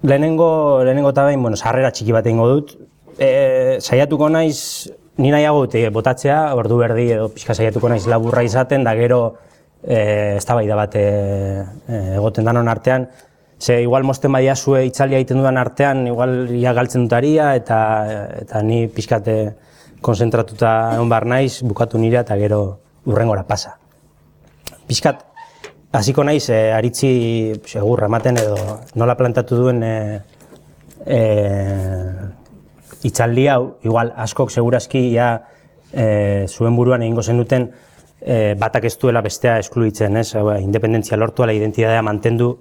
lehenengo eta behin, sarrera txiki bat egingo dut. Saiatuko naiz, ni nahiago dut botatzea, ordu berdi edo pixka saiatuko naiz laburra izaten, da gero eztabaida bat egoten danon artean. Ze igual mosten badiazue itzaldia egiten dudan artean, igual ia galtzen dutaria eta ni pixkate konzentratuta egon behar naiz, bukatu nire eta gero urrengora pasa. Pixkat, hasiko naiz aritzi segurra ematen edo nola plantatu duen itzaldi hau, igual askok segurazki zuen buruan egingo zenuten batak ez duela bestea eskluitzen, independentzia lortu, ala identitatea mantendu,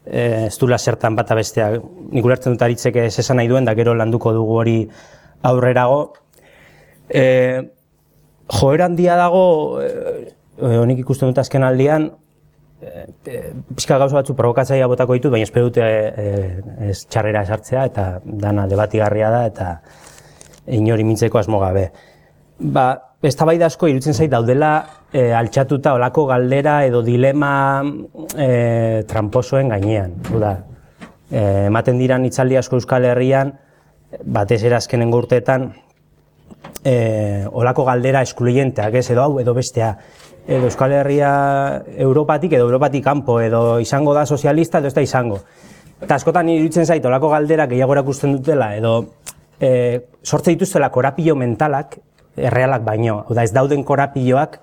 ez duela zertan bata bestea. Nik ulertzen dut aritzek ez esan nahi duen, da gero landuko dugu hori aurrerago. Joera handia dago, honik ikusten dut azken aldian, pixka gauza batzu provokatzaia botako ditut, baina espero dute ez txarrera esartzea eta dana debatigarria da eta inori mintzeko asmo gabe. Eztabaida asko iruditzen zait daudela altxatuta olako galdera edo dilema tramposoen gainean. Ematen diran itzaldi asko Euskal Herrian, batez ere azkenengo urteetan, olako galdera eskluyenteak, edo hau edo bestea. Edo Euskal Herria Europatik edo Europatik kanpo, edo izango da sozialista edo ez da izango. Eta askotan iruditzen zait olako galdera gehiago erakusten dutela, edo sortze dituztela korapilo mentalak, errealak baino. Ez dauden korapilloak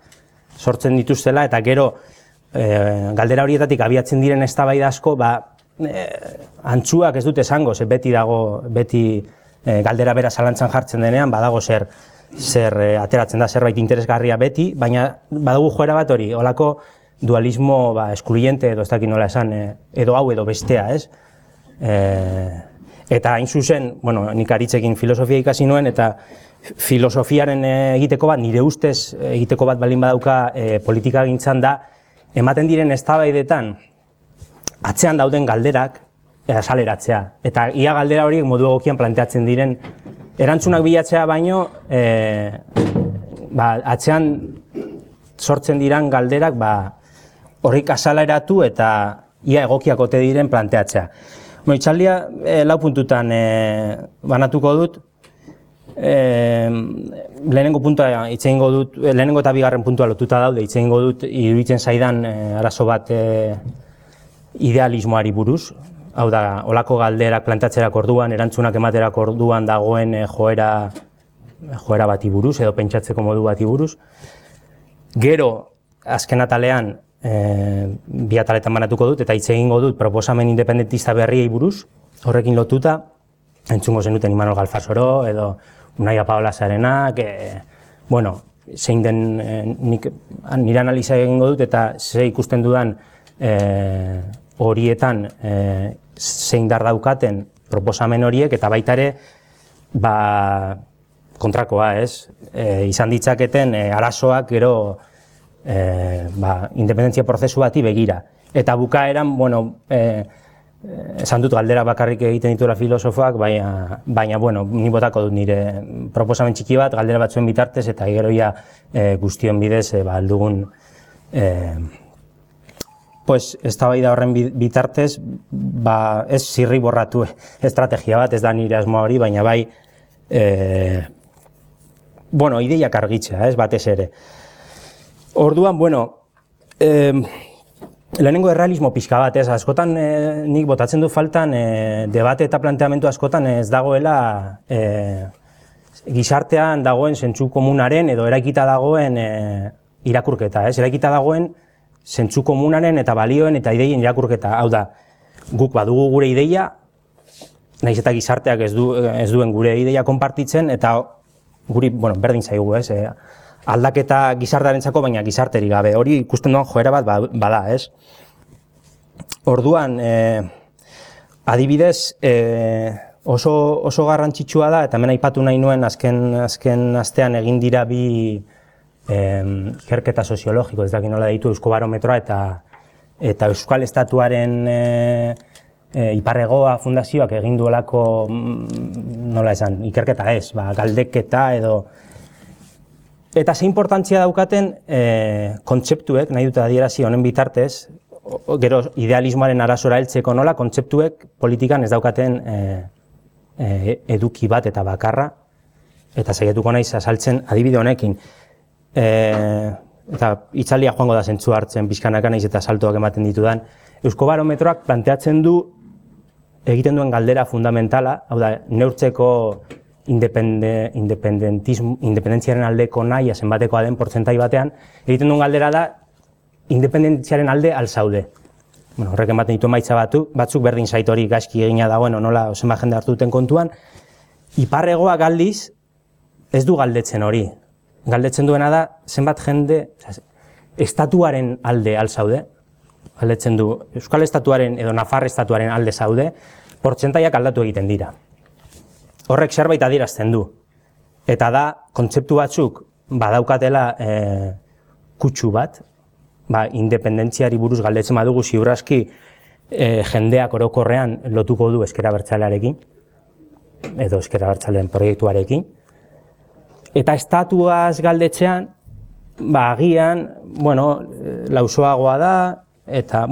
sortzen dituztela eta gero galdera horietatik abiatzen diren eztabaida asko, antzuak ez dute esango, ze beti galdera bera zalantzan jartzen denean, badago zer ateratzen da zerbait interesgarria beti, baina badugu joera bat hori, olako dualismo eskluyente edo ez dakit nola esan, edo hau edo bestea, ez? Eta hain zuzen, nik aritzekin filosofia ikasi nuen, eta filosofiaren egiteko bat, nire ustez egiteko bat baldin badauka politika gintzan da, ematen diren eztabaidetan atzean dauden galderak azaleratzea. Eta ia galdera horiek modu egokian planteatzen diren erantzunak bilatzea baino, atzean sortzen diran galderak horrik azaleratu eta ia egokiak ote diren planteatzea. Itzaldia lau puntutan banatuko dut. Lehenengo puntua hitz egingo dut, lehenengo eta bigarren puntua lotuta daude, hitz egingo dut iruditzen zaidan arazo bat idealismoari buruz. Hau da, olako galderak plantatzerak orduan, erantzunak ematerak orduan dagoen joera bati buruz, edo pentsatzeko modu bati buruz. Gero, azken atalean, bi ataletan banatuko dut, eta hitz egingo dut proposamen independentista berriei buruz, horrekin lotuta, entzungo zenuten Imanol Galfasoro, edo Unaia Paola Zarenak, zein den nire analiza egingo dut, eta ze ikusten dudan horietan zein dar daukaten proposamen horiek, eta baita ere kontrakoa, ez? Izan ditzaketen arazoak gero independentzia prozesu bati begira. Eta bukaeran, esan dut galdera bakarrik egiten dituela filosofoak, baina ni botako dut nire proposamen txiki bat, galdera batzuen bitartez, eta gero ia guztion bidez aldugun eztabaida horren bitartez, ez zirri borratu estrategia bat, ez da nire asmoa hori, baina bai, ideiak argitzea, ez batez ere. Orduan, lehenengo errealismo pixka bat, ez, askotan nik botatzen du faltan debate eta planteamendu askotan ez dagoela gizartean dagoen zentzu komunaren edo eraikita dagoen irakurketa, ez, eraikita dagoen zentzu komunaren eta balioen eta ideien irakurketa. Hau da, guk badugu gure ideia, nahiz eta gizarteak ez duen gure ideia konpartitzen, eta guri, berdin zaigu, ez, aldaketa gizartearentzako, baina gizarteri gabe. Hori ikusten duan joera bat bada, ez? Orduan, adibidez, oso garrantzitsua da, eta hemen aipatu nahi nuen azken astean egin dira bi ikerketa soziologiko, ez dakit nola deitu, Euskobarometroa eta Euskal Estatuaren Iparregoa Fundazioak egin duelako, nola esan, ikerketa ez, galdeketa edo. Eta ze importantzia daukaten kontzeptuek, nahi dut adierazi honen bitartez, gero idealismoaren arasora heltzeko nola, kontzeptuek politikan ez daukaten eduki bat eta bakarra, eta saiatuko naiz azaltzen adibide honekin. Eta itzaldia joango da zentzu hartzen, pixkanaka naiz eta saltoak ematen ditudan. Euskobarometroak planteatzen du egiten duen galdera fundamentala, hau da, neurtzeko independentziaren aldeko nahia zenbatekoa den portzentai batean, egiten duen galdera da independentziaren alde alzaude. Bueno, horrek ematen ditu emaitza batzuk berdin zait hori gaizki egina dagoen, nola zenbat jende hartu duten kontuan. Iparregoak aldiz ez du galdetzen hori. Galdetzen duena da zenbat jende estatuaren alde alzaude. Galdetzen du Euskal Estatuaren edo Nafar Estatuaren alde zaude, portzentaiak aldatu egiten dira. Horrek zerbait adierazten du. Eta da, kontzeptu batzuk badaukatela kutsu bat, independentziari buruz galdetzen badugu ziur aski jendeak orokorrean lotuko du ezker abertzalearekin, edo ezker abertzaleen proiektuarekin. Eta estatuaz galdetzean, agian, lausoagoa da, eta,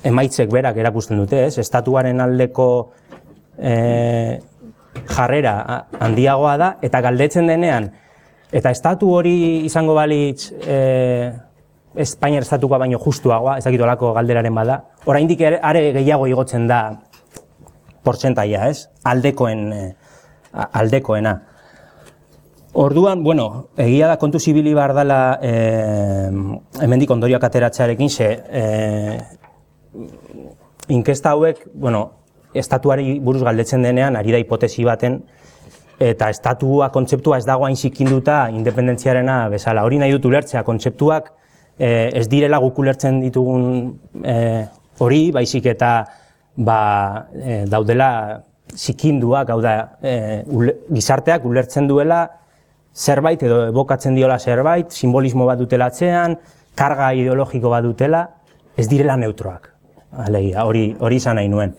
emaitzek berak erakusten dute, ez? Estatuaren aldeko jarrera handiagoa da, eta galdetzen denean, eta estatu hori izango balitz Espainiar estatukoa baino justuagoa, ez dakit olako galderaren bada, oraindik are gehiago igotzen da portzentaia, ez? Aldekoena. Orduan, egia da kontu zibili behar dela hemendik ondorioak ateratzearekin, inkesta hauek, estatuari buruz galdetzen denean, ari da hipotesi baten, eta estatua kontzeptua ez dago hain zikinduta independentziarena bezala. Hori nahi dut ulertzea, kontzeptuak ez direla guk ulertzen ditugun hori, baizik eta daudela zikinduak, hau da, gizarteak ulertzen duela zerbait edo evokatzen diola zerbait, simbolismo bat dutela atzean, karga ideologiko bat dutela, ez direla neutroak. Alegia, hori izan nahi nuen.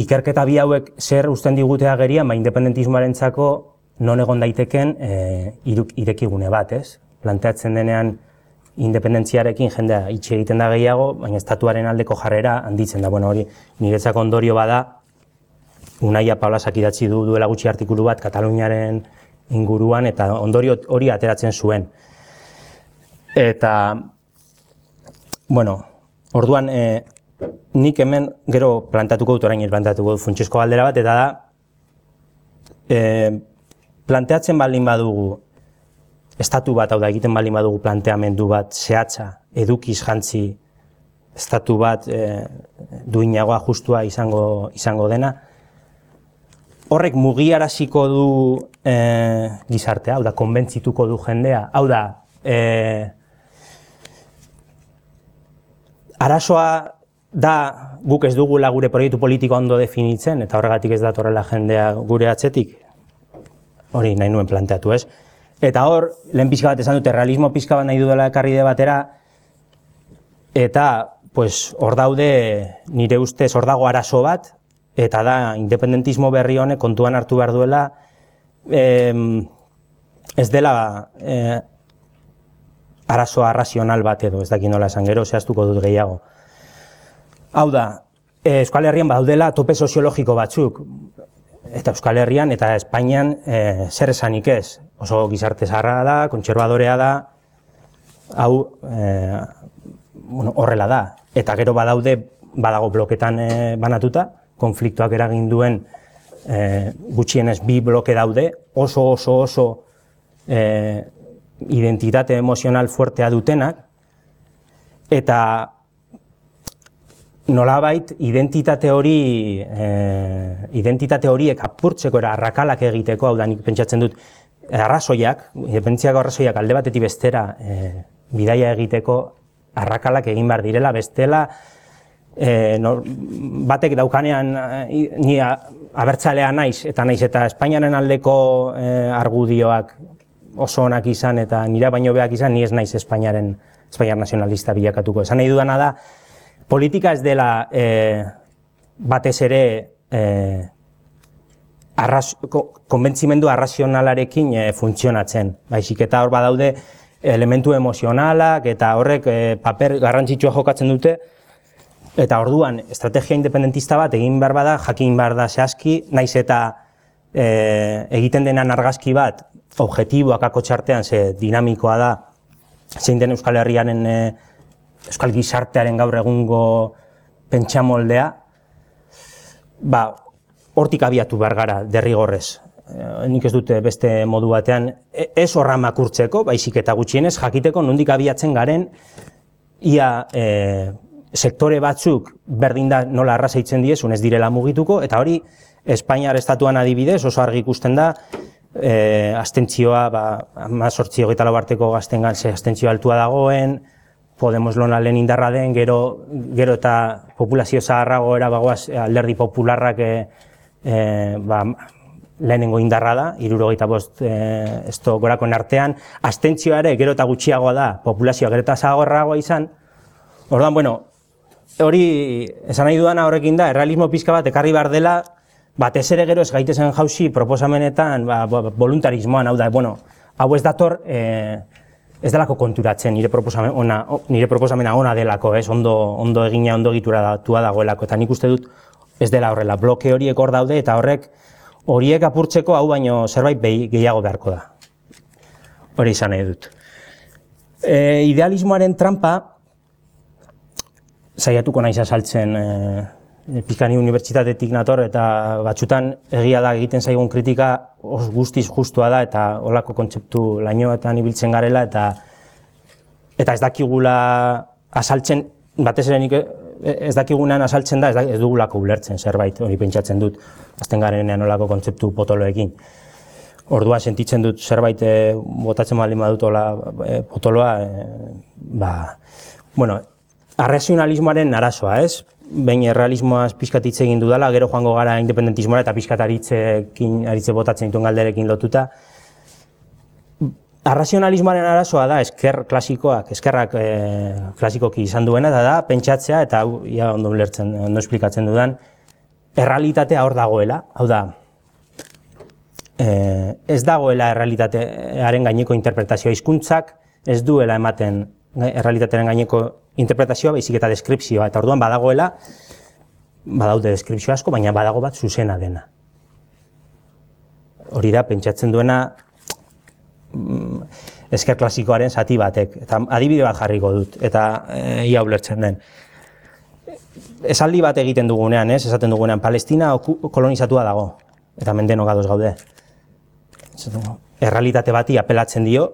Ikerketa bi hauek zer uzten digute agerian, independentismoarentzako non egon daiteken irekigune bat, ez? Planteatzen denean independentziarekin jendea itxi egiten da gehiago, baina estatuaren aldeko jarrera handitzen da. Hori niretzako ondorio bada, Unaia Paulasak idatzi duela gutxi artikulu bat Kataluniaren inguruan, eta ondorio hori ateratzen zuen. Eta, orduan, nik hemen gero plantatuko dut, orain plantatuko dut funtsezko galdera bat, eta da, planteatzen baldin badugu, estatu bat, hau da, egiten baldin badugu planteamendu bat zehatza, edukiz jantzi, estatu bat duinagoa justua izango dena, horrek mugiaraziko du gizartea, hau da, konbentzituko du jendea, hau da, arazoa da guk ez dugula gure proiektu politiko ondo definitzen, eta horregatik ez datorrela jendea gure atzetik, hori nahi nuen planteatu, ez? Eta hor, lehen pixka bat esan dute, realismo pixka bat nahi dudala ekarri debatera, eta hor daude, nire ustez, hor dago arazo bat, eta da, independentismo berri honek kontuan hartu behar duela, ez dela arazoa razional bat edo, ez dakit nola esan, gero zehaztuko dut gehiago. Hau da, Euskal Herrian badaudela tope soziologiko batzuk, eta Euskal Herrian eta Espainian zer esanik ez. Oso gizarte zaharra da, kontserbadorea da, hau horrela da. Eta gero badago bloketan banatuta, konfliktoak eragin duen gutxienez bi bloke daude, oso identitate emozional fuertea dutenak, eta nolabait identitate horiek apurtzeko era arrakalak egiteko, hau da nik pentsatzen dut, arrazoiak, independentziako arrazoiak alde batetik bestera bidaia egiteko arrakalak egin behar direla, bestela batek daukanean ni abertzalea naiz eta Espainiaren aldeko argudioak oso onak izan eta nira baino beak izan, ni ez naiz Espainiar nazionalista bilakatuko. Esan nahi dudana da, politika ez dela batez ere konbentzimendu arrazionalarekin funtzionatzen. Baizik eta hor badaude elementu emozionalak eta horrek paper garrantzitsua jokatzen dute, eta orduan estrategia independentista bat egin behar bada, jakin behar da zehazki, naiz eta egiten denan argazki bat, objektiboak akotxartean, ze dinamikoa da, zein den Euskal Herriaren, Euskal Gizartearen gaur egungo pentsamoldea, hortik abiatu behar gara derrigorrez. Nik ez dute beste modu batean, ez horra makurtzeko, baizik eta gutxienez, jakiteko nondik abiatzen garen, ia sektore batzuk berdin da nola arraza itzen diezun ez direla mugituko, eta hori Espainiar estatuan adibidez oso argi ikusten da, abstentzioa, 18-24 arteko gaztengan ze abstentzioa altua dagoen, Podemos lona lehen indarra den, gero eta populazio zaharrago erabagoaz alderdi popularrak lehenengo indarra da, 75 gorakoen artean, abstentzioa ere gero eta gutxiagoa da, populazioa gero eta zaharragoa izan. Orduan, hori esan nahi dudana horrekin da, errealismo pixka bat ekarri behar dela, batez ere gero ez gaitezen jauzi proposamenetan, voluntarismoan, hau da, hau ez dator, ez delako konturatzen nire proposamena ona delako, ondo egina, ondo egituratua dagoelako, eta nik uste dut ez dela horrela, bloke horiek hor daude, eta horiek apurtzeko hau baino zerbait gehiago beharko da. Hori izan nahi dut. Idealismoaren trampa, saiatuko naiz azaltzen, Pikani unibertsitatetik nator, eta batzutan egia da egiten zaigun kritika guztiz justua da, eta holako kontzeptu lainoetan ibiltzen garela, eta ez dakigula azaltzen, batez ere nik ez dakigunean azaltzen da, ez dugulako ulertzen zerbait, hori pentsatzen dut, azten garenean holako kontzeptu potoloekin. Ordua sentitzen dut zerbait botatzen baldin badut potoloa, arrazionalismoaren arazoa, ez? Behin errealismoaz pixkat hitz egin dudala, gero joango gara independentismoa eta pixkat aritze botatzen dituen galderekin lotuta. Arrazionalismoaren arazoa da eskerrak klasikoki izan duena, eta da pentsatzea, eta hau ondo ulertzen, ondo esplikatzen dudan, errealitatea hor dagoela, hau da, ez dagoela errealitatearen gaineko interpretazioa, hizkuntzak ez duela ematen errealitatearen gaineko interpretazioa, baizik eta deskripzioa, eta orduan badaude deskripzio asko, baina badago bat zuzena dena. Hori da, pentsatzen duena esker klasikoaren zati batek, eta adibide bat jarriko dut, eta ia ulertzen den. Esaldi bat egiten dugunean, esaten dugunean, Palestina kolonizatua dago, eta mendeno gadoz gaude. Errealitate bati apelatzen dio,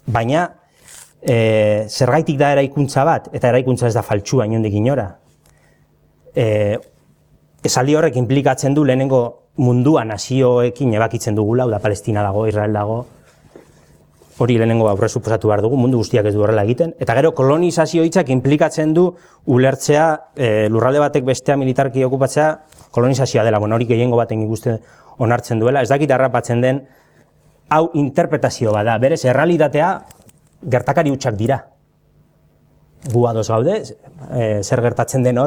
baina zergaitik da eraikuntza bat, eta eraikuntza ez da faltsua inondik inora. Esaldi horrek implikatzen du lehenengo mundua nazioekin ebakitzen dugula, da Palestina dago, Israel dago, hori lehenengo aurre suposatu behar dugu, mundu guztiak ez du horrela egiten, eta gero kolonizazio hitzak implikatzen du ulertzea lurralde batek bestea militarki okupatzea kolonizazioa dela, hori gehiengo baten ikuste onartzen duela, ez dakit harrapatzen den, hau interpretazio bada, berez, errealitatea gertakari hutsak dira. Gu ados gaude, zer gertatzen den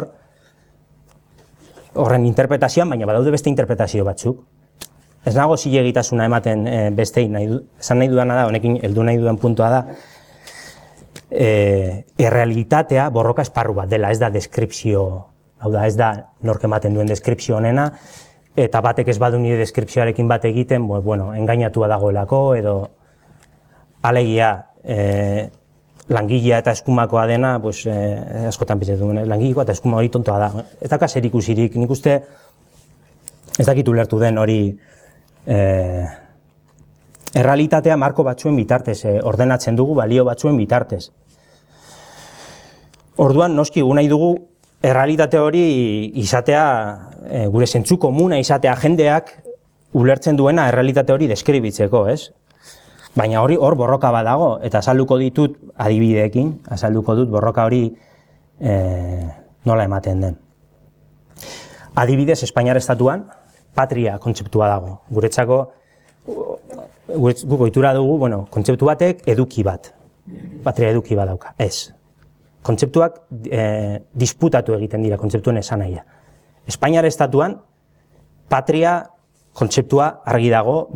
horren interpretazioan, baina badaude beste interpretazio batzuk. Ez nago zilegitasuna ematen bestein, esan nahi dudana da, honekin heldu nahi dudan puntua da, errealitatea borroka esparru bat dela, ez da deskripzio, hau da, ez da nork ematen duen deskripzio honena, eta batek ez badu nire deskripzioarekin bat egiten, engainatua dagoelako, edo alegia, langilea eta eskumakoa dena, askotan pitzatu duen, langilekoa eta eskuma hori tontoa da. Ez da kaser ikusirik, nik uste ez dakit ulertu den hori errealitatea marko batzuen bitartez, ordenatzen dugu balio batzuen bitartez. Orduan, noski, gu nahi dugu errealitate hori izatea, gure zentzu komuna izatea jendeak ulertzen duena errealitate hori deskribitzeko, ez? Baina hor borroka bat dago, eta azalduko ditut adibideekin, azalduko dut borroka hori nola ematen den. Adibidez, Espainiar estatuan, patria kontzeptua dago. Guretzako, guk ohitura dugu, kontzeptu batek eduki bat. Patria eduki bat dauka, ez. Kontzeptuak disputatu egiten dira, kontzeptuen esanahia. Espainiar estatuan, patria kontzeptua argi dago,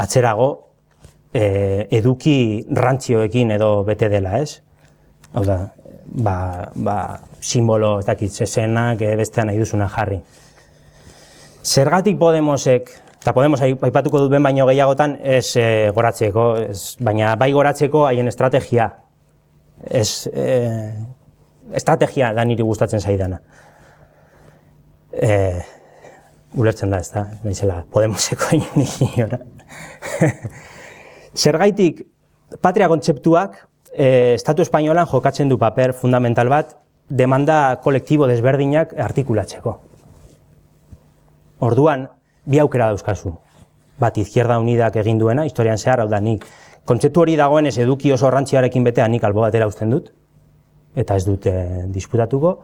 atzerago eduki rantzioekin edo bete dela, ez? Hau da, simbolo, ez dakit, zezenak, bestean nahi duzuna jarri. Zergatik Podemosek, eta Podemos aipatuko dut ben baino gehiagotan, ez goratzeko, baina bai goratzeko haien estrategia. Estrategia da niri gustatzen zaidana. Ulertzen da, ez da, naizela Podemoseko iniora. Zergaitik, patria kontzeptuak Estatu Espainolan jokatzen du paper fundamental bat demanda kolektibo desberdinak artikulatzeko. Orduan, bi aukera dauzkazu. Bat, Izquierda Unidak egin duena, historian zehar, hau da, nik kontzeptu hori dagoenez eduki oso rantziarekin betea nik albo batera uzten dut, eta ez dut disputatuko.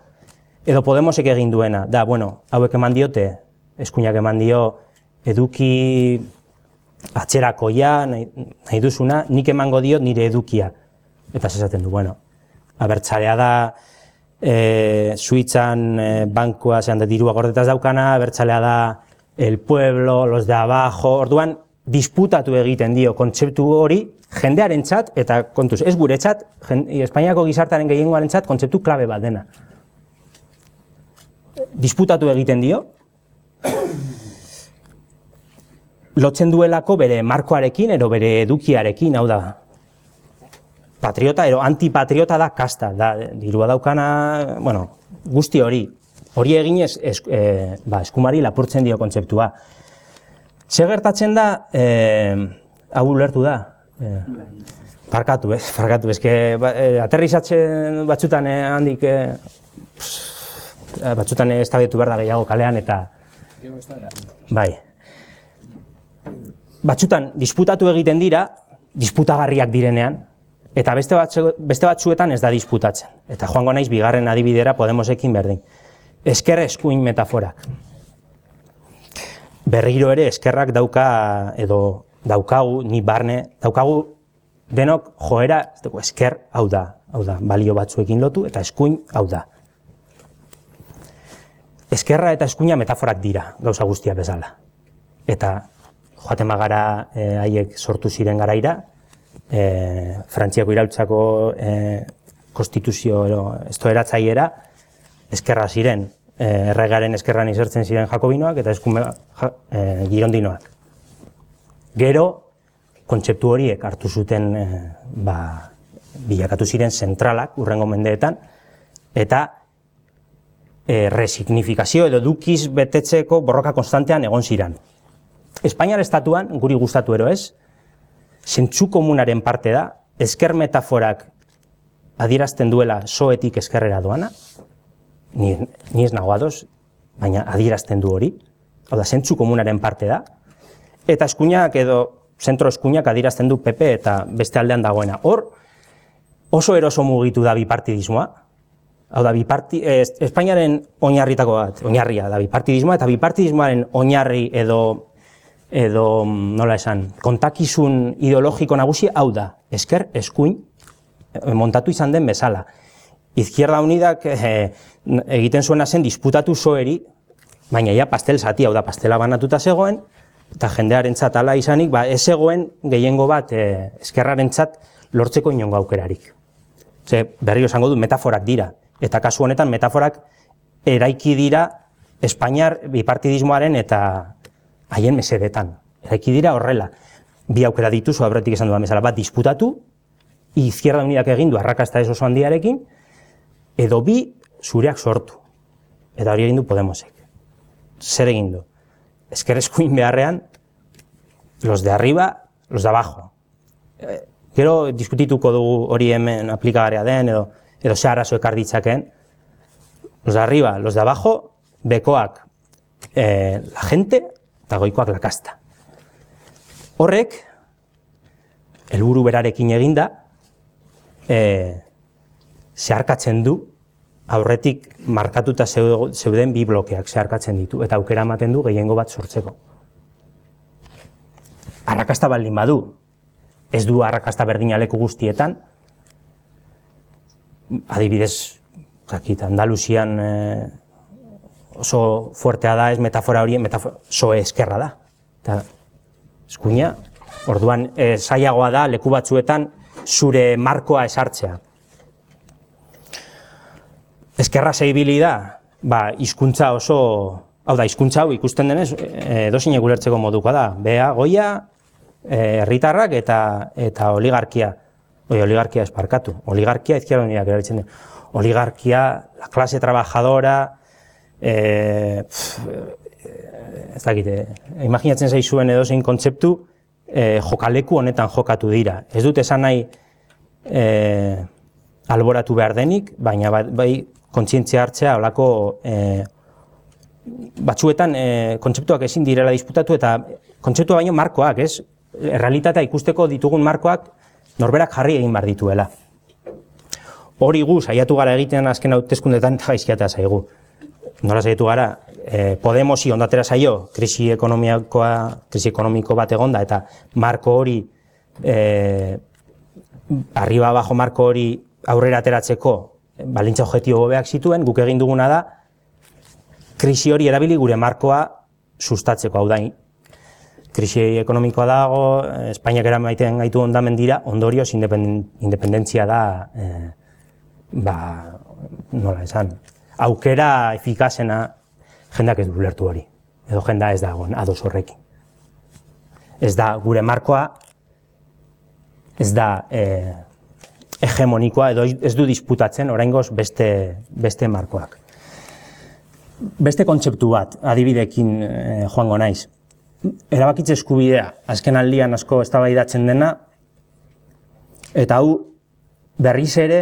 Edo Podemosek egin duena, da, bueno, hauek eman diote, eskuinak eman dio eduki atzerakoia, nahi duzuna, nik emango diot nire edukia. Eta esaten du, bueno, abertzalea da, Suitzan bankua zehan da dirua gordetaz daukana, abertzalea da el pueblo, los de abajo, orduan disputatu egiten dio kontzeptu hori jendearentzat eta kontuz, ez guretzat, Espainiako gizartaren gehiengoarentzat kontzeptu klabe bat dena. Disputatu egiten dio, lotzen duelako bere markoarekin edo bere edukiarekin, hau da, patriota edo antipatriota da kasta, da, dirua daukana, bueno, guzti hori eginez eskumari lapurtzen dio kontzeptua. Ze gertatzen da, hau ulertu da, parkatu, aterrizatzen batzutan handik, batzutan eztabaiatu behar da gehiago kalean eta, bai, batzutan disputatu egiten dira, disputagarriak direnean, eta beste batzuetan ez da disputatzen. Eta joango naiz bigarren adibidera Podemosekin berdin. Ezker eskuin metaforak. Berriro ere eskerrak dauka, edo daukagu, ni barne, daukagu denok joera, esker hau da, balio batzuekin lotu, eta eskuin hau da. Eskerra eta eskuina metaforak dira, gauza guztia bezala. Eta joaten bagara haiek sortu ziren garaira, Frantziako iraultzako konstituzio estoeratzaiera eskerra ziren, erregaren eskerran izertzen ziren jakobinoak eta girondinoak. Gero, kontzeptu horiek hartu zuten, bilakatu ziren zentralak urrengo mendeetan, eta resignifikazio edo edukiz betetzeko borroka konstantean egon ziren. Espainiar estatuan, guri gustatu ero ez, zentzu komunaren parte da, esker metaforak adierazten duela soetik eskerrera doana, ni ez nago ados, baina adierazten du hori, hau da, zentzu komunaren parte da, eta eskuinak edo zentro eskuinak adierazten du PP eta beste aldean dagoena. Hor, oso eroso mugitu da bipartidismoa, hau da, Espainiaren oinarritako bat, oinarria da bipartidismoa, eta bipartidismoaren oinarri edo nola esan, kontakizun ideologiko nagusi hau da, esker, eskuin, montatu izan den bezala. Izquierda Unidak egiten zuena zen disputatu soeri, baina ja pastel zati, hau da, pastela banatuta zegoen, eta jendearentzat hala izanik, ez zegoen gehiengo bat eskerrarentzat lortzeko inongo aukerarik. Ze, berriro esango du, metaforak dira, eta kasu honetan metaforak eraiki dira Espainiar bipartidismoaren eta haien mesedetan. Eraiki dira horrela. Bi aukera dituzu, aurretik esan dudan bezala, bat disputatu, Izquierda Unidak egin du arrakasta ez oso handiarekin, edo bi zureak sortu. Eta hori egin du Podemosek. Zer egin du? Esker eskuin beharrean, los de arriba, los de abajo. Gero diskutituko dugu hori hemen aplikagarria den, edo ze arazo ekar ditzakeen. Los de arriba, los de abajo, bekoak la gente, eta goikoak la kasta. Horrek, helburu berarekin eginda, zeharkatzen du, aurretik markatuta zeuden bi blokeak zeharkatzen ditu, eta aukera ematen du gehiengo bat sortzeko. Arrakasta baldin badu, ez du arrakasta berdina leku guztietan, adibidez, Andaluzian oso fuertea da, ez metafora hori, soe eskerra da. Eta eskuina, Orduan, zailagoa da leku batzuetan zure markoa esartzea. Ezkerra zeibili da, hizkuntza oso, hau da, hizkuntza hau ikusten denez, edozein ulertzeko modukoa da. Bea, goia, herritarrak eta oligarkia. Oligarkia esparkatu. Oligarkia izquierda unidak erabiltzen du. Oligarkia, la clase trabajadora, ez dakite, imaginatzen zaizuen edozein kontzeptu, jokaleku honetan jokatu dira. Ez dut esan nahi alboratu behar denik, baina bai kontzientzia hartzea olako batzuetan kontzeptuak ezin direla disputatu eta kontzeptua baino markoak, ez? Errealitatea ikusteko ditugun markoak norberak jarri egin behar dituela. Hori gu saiatu gara egiten azken hauteskundeetan gaizkiatea zaigu. Nola saiatu gara, Podemosi ondatera zaio, krisi ekonomiko bat egonda eta marko hori, arriba abajo marko hori aurrera ateratzeko balintza objektibo hobeak zituen, guk egin duguna da, krisi hori erabili gure markoa sustatzeko, hau da, krisi ekonomikoa dago, Espainiak eramaiten gaitu ondamen dira, ondorioz independentzia da, nola esan, aukera efikazena jendak ez du ulertu hori, edo jenda ez dagoen ados horrekin. Ez da gure markoa, ez da hegemonikoa, edo ez du disputatzen oraingoz beste markoak. Beste kontzeptu bat, adibidekin joango naiz. Erabakitze eskubidea, azken aldian asko eztabaidatzen dena, eta hau berriz ere,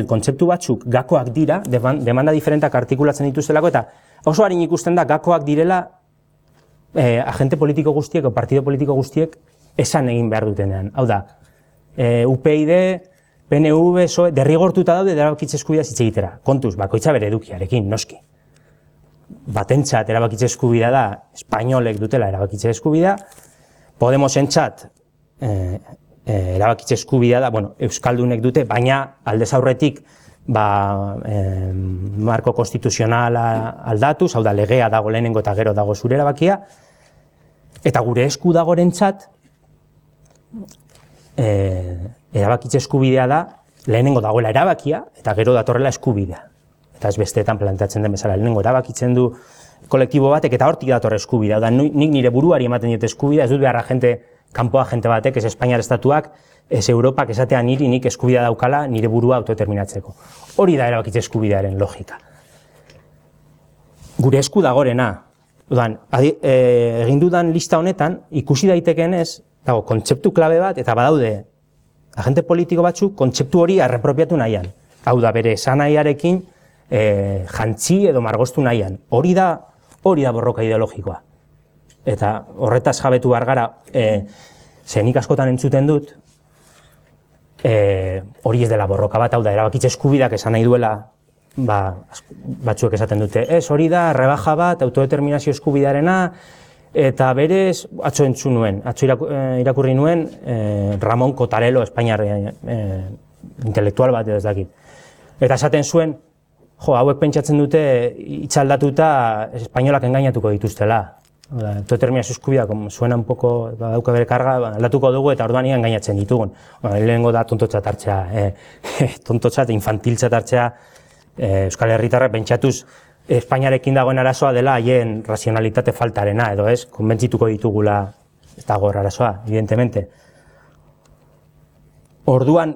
kontzeptu batzuk gakoak dira, demanda diferentak artikulatzen dituztelako, eta oso harin ikusten da gakoak direla agente politiko guztiek o partido politiko guztiek esan egin behar dutenean. Hau da, UPyD, PNV, PSOE, derrigortuta daude erabakitze eskubidea hitz egitera. Kontuz, bakoitza bere edukiarekin, noski. Batentzat erabakitze eskubidea da, espainolek dutela erabakitze eskubidea, Podemosentzat erabakitze eskubidea da, euskaldunek dute, baina aldez aurretik marko konstituzionala aldatuz, hau da legea dago lehenengo eta gero dago zure erabakia, eta gure esku dagorentzat erabakitze eskubidea da lehenengo dagoela erabakia eta gero datorrela eskubidea. Eta ez besteetan planteatzen den bezala, lehenengo erabakitzen du kolektibo batek eta hortik dator eskubidea. Da, nik nire buruari ematen diet eskubidea, ez dut beharra kanpo agente batek, ez Espainiar estatuak, ez Europak esatea nik eskubidea daukala nire burua autodeterminatzeko. Hori da erabakitze eskubidearen logika. Gure esku dagorena, egin dudan lista honetan, ikusi daitekeenez, dago kontzeptu klabe bat, eta badaude agente politiko batzuk kontzeptu hori arrepropiatu nahian. Hau da, bere esanahiarekin jantzi edo margostu nahian. Hori da borroka ideologikoa. Eta horretaz jabetu behar gara, nik askotan entzuten dut, hori ez dela borroka bat, hau da, erabakitze eskubidak esan nahi duela, batzuek esaten dute, ez hori da, rebaja bat, autodeterminazio eskubidarena, eta berez, atzo entzun nuen, atzo irakurri nuen, Ramon Cotarelo, Espainiar intelektual bat edo ez dakit. Eta esaten zuen, hauek pentsatzen dute itxaldatuta espainolak engainatuko dituztela. Autodeterminazio eskubidea, suena un poco, dauka bere karga, aldatuko dugu eta orduan engainatzen ditugun. Lehenengo da tontotzat hartzea, tontotzat, infantiltzat hartzea, Euskal Herritarrak pentsatuz Espainiarekin dagoen arazoa dela haien razionalitate faltarena, edo ez, konbentzituko ditugula ez dago arazoa, evidentemente. Orduan,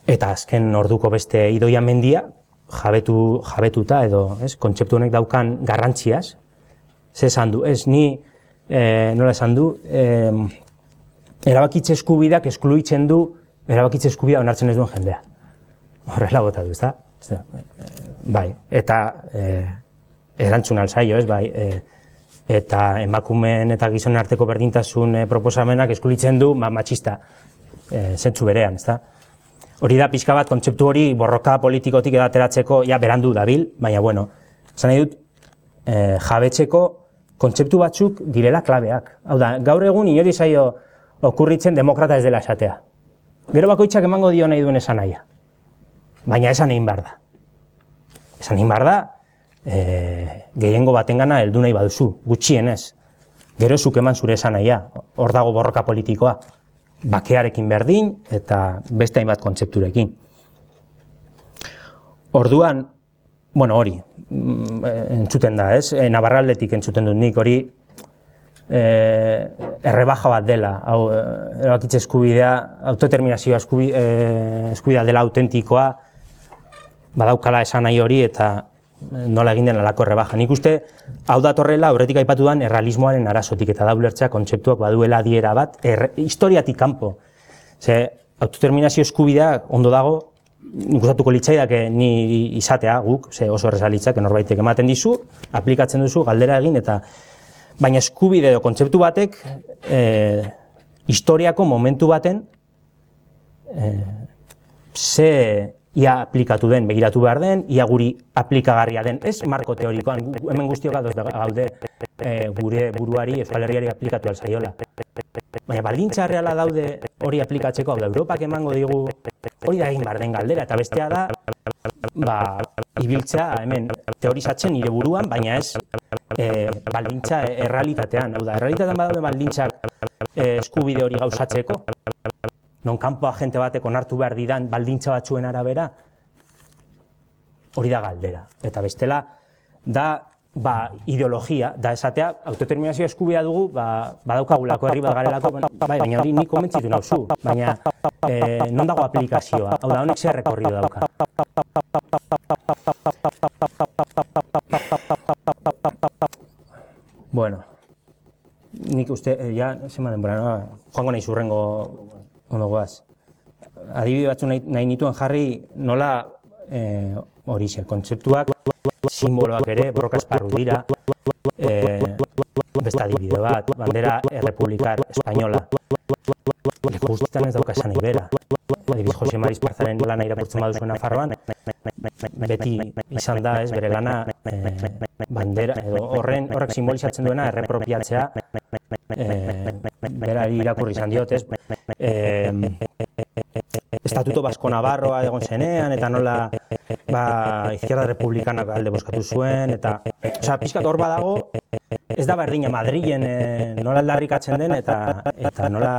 eta azken orduko beste Idoia Mendia, jabetuta edo, ez, kontzeptu honek daukan garrantziaz, ze esan du, ez, nola esan du, erabakitze eskubidak eskluitzen du erabakitze eskubidea onartzen ez duen jendea. Horrela bota du, ez da? Bai, eta erantzun alzaio, ez, bai, eta emakumeen eta gizonen arteko berdintasun proposamenak eskluitzen du matxista, zentzu berean, ez da? Hori da pixka bat kontzeptu hori borroka politikotik edateratzeko, ja, berandu dabil, baina, bueno, esan nahi dut, jabetzeko kontzeptu batzuk direla klabeak. Hau da, gaur egun inori zaio okurritzen demokrata ez dela esatea. Gero bakoitzak emango dio nahi duen esan nahia. Baina esan egin behar da. Esan egin behar da, gehiengo batengana heldu nahi baduzu, gutxienez. Gero zuk eman zure esanahia, hor dago borroka politikoa, bakearekin berdin eta beste hainbat kontzepturekin. Orduan, bueno, hori, entzuten da, ez? Navarraldetik entzuten dut nik, hori errebaja bat dela, hau, erabakitze eskubidea, autodeterminazioa eskubidea dela autentikoa, badaukala esan nahi hori eta nola egin den alako errebaja. Nik uste, hau datorrela, aurretik aipatu den errealismoaren arazotik eta da ulertzea kontzeptuak baduela adiera bat, historiatik kanpo. Ze, autodeterminazio eskubidea ondo dago, nik gustatuko litzaidake ni izatea guk, ze oso erreza litzake norbaitek ematen dizu, aplikatzen duzu, galdera egin, eta baina eskubide edo kontzeptu batek historiako momentu baten ze ia aplikatu den, begiratu behar den, ia guri aplikagarria den, ez marko teorikoan, hemen guztiok ados gaude gure buruari, Euskal Herriari aplikatu alzaiola. Baina baldintza reala daude hori aplikatzeko, hau da, Europak emango digu, hori da egin behar den galdera, eta bestea da, ibiltzea hemen teorizatzen nire buruan, baina ez baldintza errealitatean, hau da, errealitatean badaude baldintzak eskubide hori gauzatzeko, non kanpo agente batek onartu behar didan baldintza batzuen arabera, hori da galdera. Eta bestela, da ideologia, da esatea, autodeterminazio eskubidea dugu, badaukagulako herri bat garelako, baina hori nik komentzitu nauzu, baina non dago aplikazioa, hau da, honek zer rekorrido dauka. Bueno, nik uste, ja, zema denbora, joango nahi zurrengo ondo goaz. Adibide batzu nahi nituen jarri nola hori kontzeptuak, simboloak ere, borroka esparru dira, beste adibide bat, bandera errepublikar espainola. Leku guztietan ez dauka esan nahi bera. Adibidez, Jose Mari Esparzaren lana irakurtzen baduzuen Nafarroan, beti izan da, ez, bere lana bandera, edo horrek simbolizatzen duena errepropiatzea, berari irakurri izan diot, ez, Estatuto Basko Navarroa egon zenean, eta nola Izquierda Republikanak alde bozkatu zuen, eta pixkat hor badago, ez da berdina Madrilen nola aldarrikatzen den, eta nola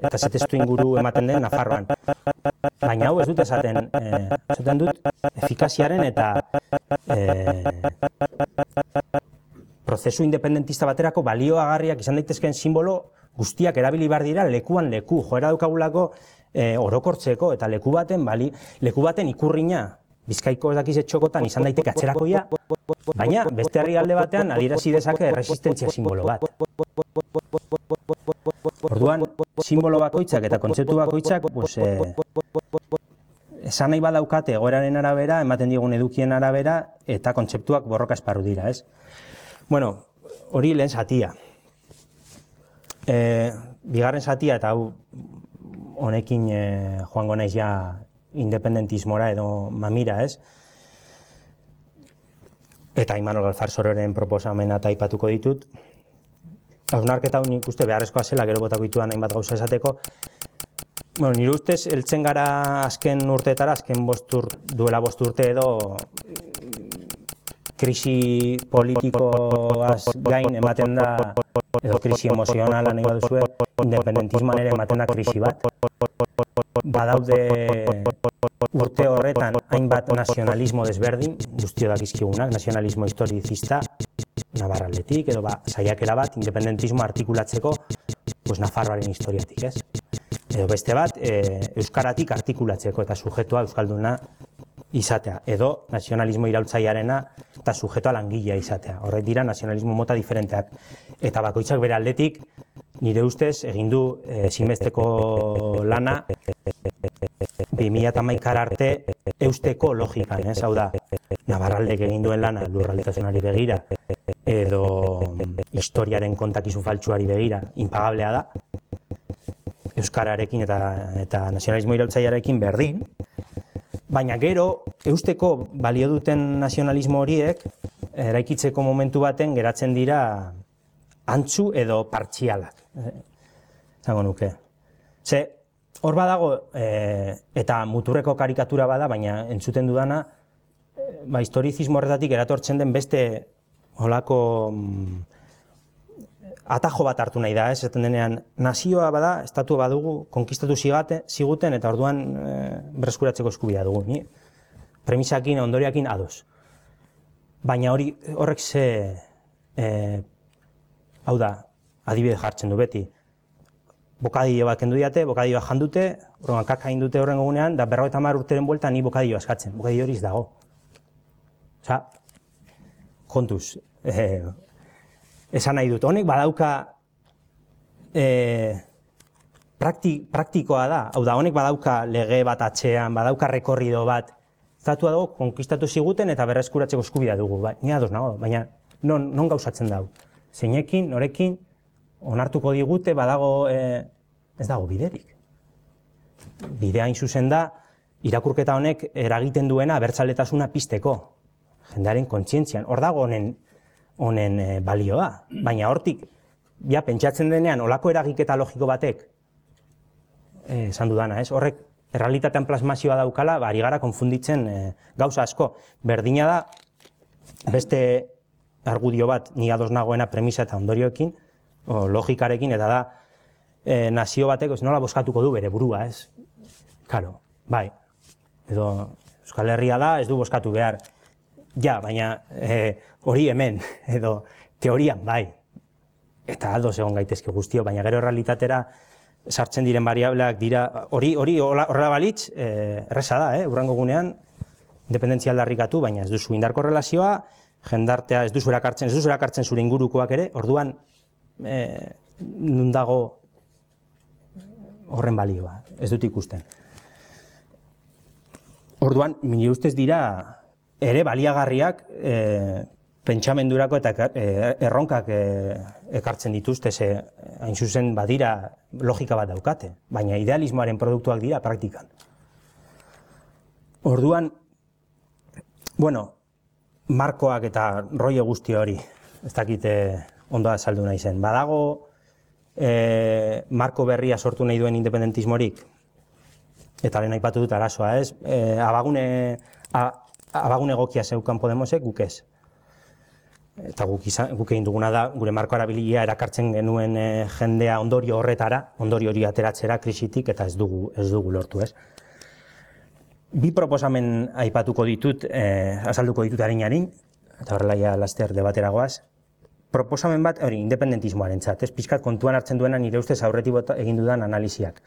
eta zetestu inguru ematen den Nafarroan. Baina hau ez dut esaten dut efikaziaren eta prozesu independentista baterako balioagarriak izan daitezkeen simbolo guztiak erabili behar dira lekuan leku, joera daukagulako orokortzeko eta leku baten ikurrina Bizkaiko ez dakiz txokotan izan daiteke atzerakoia, baina beste herrialde batean adierazi dezake erresistentzia simbolo bat. Orduan, simbolo bakoitzak eta kontzeptu bakoitzak esan nahi badaukate egoeraren arabera, ematen digun edukien arabera, eta kontzeptuak borroka esparru dira, ez? Bueno, hori lehen zatia. Bigarren zatia, eta hau honekin joango naiz ja independentismora edo mamira, ez? Eta Imanol Galfarsororen proposamena eta aipatuko ditut. Hausnarketa hau nik uste beharrezkoa zela, gero botako dituan hainbat gauza esateko. Bueno, nire ustez, heltzen gara azken urteetara, duela 5 urte edo krisi politikoaz gain ematen da, edo krisi emozionala nahi baduzue, independentismoan ere ematen da krisi bat. Badaude urte horretan hainbat nazionalismo desberdin, guztio dakizkigunak, nazionalismo historizista, Navarraldetik, edo saiakera bat, independentismo artikulatzeko, Nafarroaren historiatik, ez? Edo beste bat, euskaratik artikulatzeko eta sujetua euskalduna izatea, edo nazionalismo iraultzailearena eta sujetoa langilea izatea. Horrek dira nazionalismo mota diferenteak. Eta bakoitzak bere aldetik, nire ustez, egin du ezinbesteko lana 2011 arte eusteko logikan, ez? Hau da, Navarraldek egin duen lana lurraldetasunari begira, edo historiaren kontakizun faltsuari begira, impagablea da, euskararekin eta nazionalismo iraultzailearekin berdin, baina gero, eusteko balio duten nazionalismo horiek, eraikitzeko momentu baten geratzen dira antzu edo partzialak. Zango nuke. Ze, hor badago, eta muturreko karikatura bada, baina entzuten dudana, historizismo horretatik eratortzen den beste holako atajo bat hartu nahi da, esaten denean, nazioa bada, estatua badugu, konkistatu ziguten, eta orduan berreskuratzeko eskubidea dugu. Ni? Premisakin, ondoriakin ados. Baina horrek hau da, adibide jartzen du beti. Bokadillo bat kendu diate, bokadillo bat jandute, horrengan kaka indute horren gogunean, da 50 urteren buelta ni bokadillo askatzen. Bokadillo horiz dago. Osa, kontuz, esan nahi dut. Honek badauka praktikoa da, hau da, honek badauka lege bat atxean, badauka rekorrido bat, estatua dago, konkistatu ziguten eta berreskuratzeko eskubidea dugu. Ni ados nago, baina non gauzatzen dago. Zeinekin, norekin, onartuko digute, badago, ez dago biderik. Bidea hain zuzen da, irakurketa honek eragiten duena abertzaletasuna pizteko. Jendearen kontzientzian, hor dago honen balioa. Baina hortik, pentsatzen denean, olako eragiketa logiko batek, esan dudana, ez? Horrek, errealitatean plasmazioa daukala, ari gara konfunditzen gauza asko. Berdina da, beste argudio bat, ni ados nagoena premisa eta ondorioekin, logikarekin, eta da, nazio batek nola bozkatuko du bere burua, ez? Karo, bai, edo Euskal Herria da, ez du bozkatu behar. Ja, baina hori hemen, edo teorian, bai. Eta ados egon gaitezke guztio, baina gero errealitatera sartzen diren variableak dira, hori horrela balitz, erresa da, hurrengo gunean, independentzia aldarrikatu, baina ez duzu indarko relazioa, jendartea ez duzu erakartzen zure ingurukoak ere, orduan nun dago horren balioa, ez dut ikusten. Orduan, nire ustez dira ere baliagarriak pentsamendurako eta erronkak ekartzen dituzte, hain zuzen badira logika bat daukate, baina idealismoaren produktuak dira praktikan. Orduan, markoak eta rollo guzti hori, ez dakite ondo azaldu nahi zen. Badago marko berria sortu nahi duen independentismorik, eta lehen aipatu dut arazoa, ez? Abagune egokia zeukan Podemosek, guk ez. Eta guk egin duguna da, gure marko arabilia erakartzen genuen jendea ondorio horretara, ondorio hori ateratzera krisitik, eta ez dugu lortu, ez? Bi proposamen aipatuko ditut, azalduko ditut harin, eta horrela ja laster debateragoaz. Proposamen bat, hori, independentismoarentzat, ez? Pixkat kontuan hartzen duena nire ustez aurretik egin dudan analiziak.